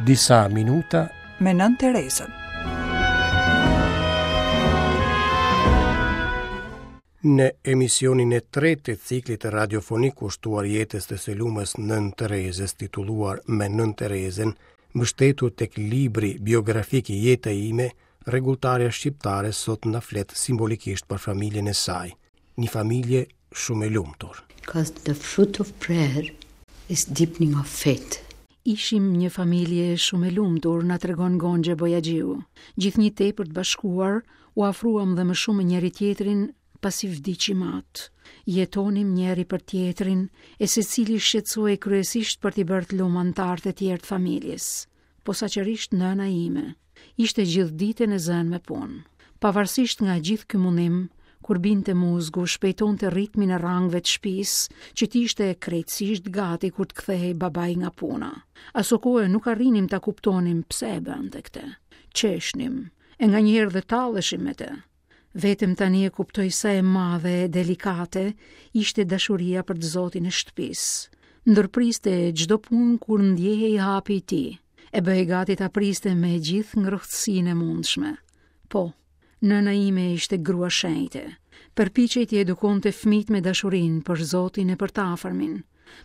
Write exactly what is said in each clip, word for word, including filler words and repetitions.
Disa minuta me Nënë Terezën. Në emisionin e tretë të ciklit radiofonik kushtuar jetës të së lumës Nënë Terezës, titulluar Me Nënë Terezën, mbështetur tek libri biografik Jeta ime, rregulltarja shqiptare sot na flet simbolikisht për familjen e saj, një familje shumë e lumtur. Because the fruit of prayer is deepening of faith. Ishim një familje shumë e lumtur, na tregon Gonxhe Bojaxhiu. Gjithnjë tepër të bashkuar, u afruam dhe më shumë me njëri tjetrin pasi vdiq im atë. Jetonim njëri për tjetrin, e secili shqetësohej kryesisht për t'i bërë të lumë anëtarët e tjerë të familjes. Posaçërisht nëna ime. Ishte gjithë ditën e zënë me punë. Pavarësisht nga gjithë ky mundim, kur binte muzgu, shpejtonte ritmin e rangëve të shtëpisë, që t'ishte krejtësisht gati kur të kthehej babai nga puna. Asokohe nuk arrinim ta kuptonim pse e bënte këtë. Qeshnim, e nganjëherë dhe talleshim me të. Vetëm tani e kuptoj sa e madhe e delikate ishte dashuria për të zotin e shtëpisë. Ndërpriste çdo punë kur ndjehej hapi i tij, e bëhej gati ta priste me gjithë ngrohtësinë e mundshme. Po, nëna ime ishte grua shenjte. Përpiqej t'i edukonte fëmijët me dashurinë për Zotin e për të afërmin.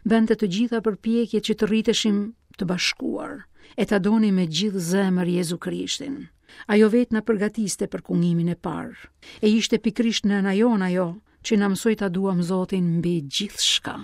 Bënte të gjitha përpjekjet që të rriteshim të bashkuar, e ta donim me gjithë zemër Jezu Krishtin. Ajo vetë na përgatiste për kungimin e parë. E ishte pikërisht nëna jonë ajo që na mësoi ta duam Zotin mbi gjithçka.